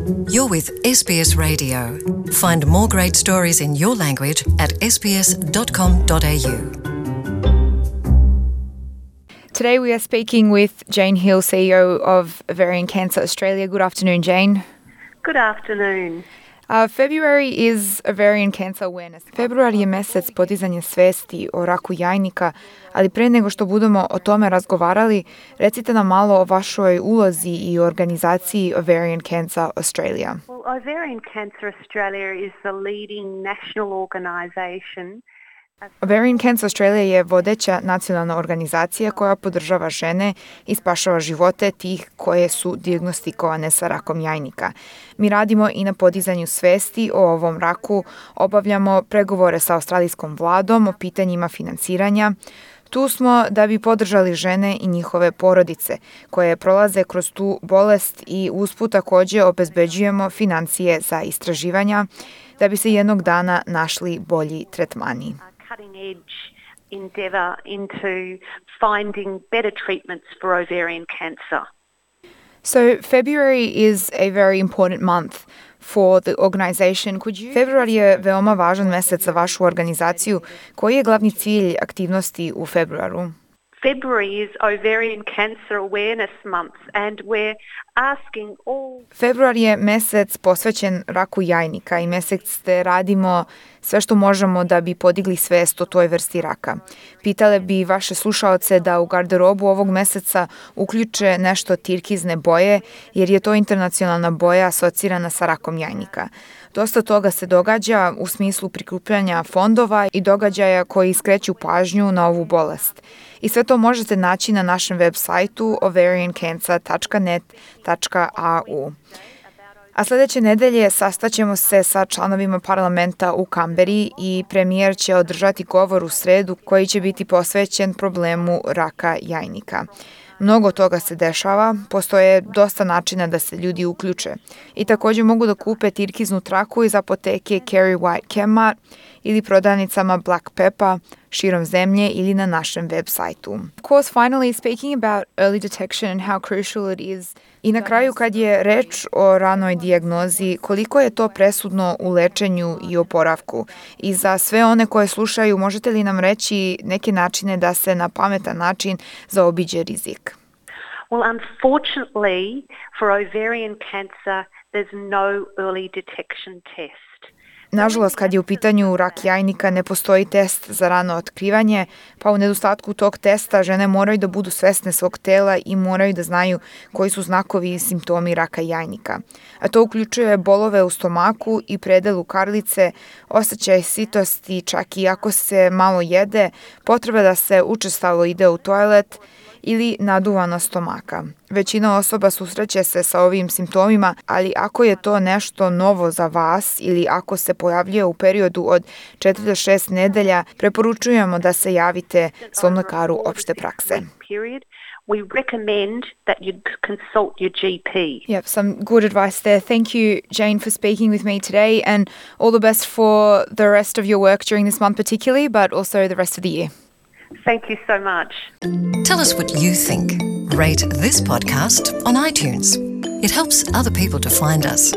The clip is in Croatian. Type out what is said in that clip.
You're with SBS Radio. Find more great stories in your language at sbs.com.au. Today we are speaking with Jane Hill, CEO of Ovarian Cancer Australia. Good afternoon, Jane. Good afternoon. February is Ovarian Cancer Awareness. Februar je mesec podizanja svesti o raku jajnika, ali pre nego što budemo o tome razgovarali, recite nam malo o vašoj ulozi i organizaciji Ovarian Cancer Australia. Well, Ovarian Cancer Australia is the leading national organisation. Ovarian Cancer Australia je vodeća nacionalna organizacija koja podržava žene i spašava živote tih koje su dijagnostikovane sa rakom jajnika. Mi radimo i na podizanju svesti o ovom raku, obavljamo pregovore sa australijskom vladom o pitanjima financiranja. Tu smo da bi podržali žene i njihove porodice koje prolaze kroz tu bolest i usput također obezbeđujemo financije za istraživanja da bi se jednog dana našli bolji tretmani. Cutting edge endeavour into finding better treatments for ovarian cancer. So February is a very important month for the organization. Februar je veoma važan mesec za vašu organizaciju. Koji je glavni cilj aktivnosti u februaru? February is Ovarian Cancer Awareness Month and we're asking all... Februar je mesec posvećen raku jajnika i mesec gde radimo sve što možemo da bi podigli svest o toj vrsti raka. Pitale bi vaše slušaoce da u garderobu ovog meseca uključe nešto tirkizne boje, jer je to internacionalna boja asocirana sa rakom jajnika. Dosta toga se događa u smislu prikupljanja fondova i događaja koji skreću pažnju na ovu bolest. I sve to možete naći na našem web sajtu ovariancancer.net.au. A sljedeće nedelje sastaćemo se sa članovima parlamenta u Kamberi i premijer će održati govor u sredu koji će biti posvećen problemu raka jajnika. Mnogo toga se dešava, postoje dosta načina da se ljudi uključe. I također mogu da kupe tirkiznu traku iz apoteke Kerry White Chemart ili prodavnicama Black Pepper širom zemlje ili na našem web sajtu. Of course, finally speaking about early detection and how crucial it is. I na kraju kad je reč o ranoj dijagnozi, koliko je to presudno u lečenju i oporavku. I za sve one koje slušaju, možete li nam reći neke načine da se na pametan način zaobiđe rizik? Well, unfortunately, for ovarian cancer, there's no early detection test. Nažalost, kad je u pitanju rak jajnika, ne postoji test za rano otkrivanje, pa u nedostatku tog testa žene moraju da budu svesne svog tela i moraju da znaju koji su znakovi i simptomi raka jajnika. A to uključuje bolove u stomaku i predelu karlice, osjećaj sitosti, čak i ako se malo jede, potreba da se učestalo ide u toalet ili naduvanost stomaka. Većina osoba susreće se sa ovim simptomima, ali ako je to nešto novo za vas ili ako se pojavljuje u periodu od 4 do 6 nedelja, preporučujemo da se javite svom lekaru opšte prakse. We recommend that you consult your GP. Yep, some good advice there. Thank you, Jane, for speaking with me today, and all the best for the rest of your work during this month particularly, but also the rest of the year. Thank you so much. Tell us what you think. Rate this podcast on iTunes. It helps other people to find us.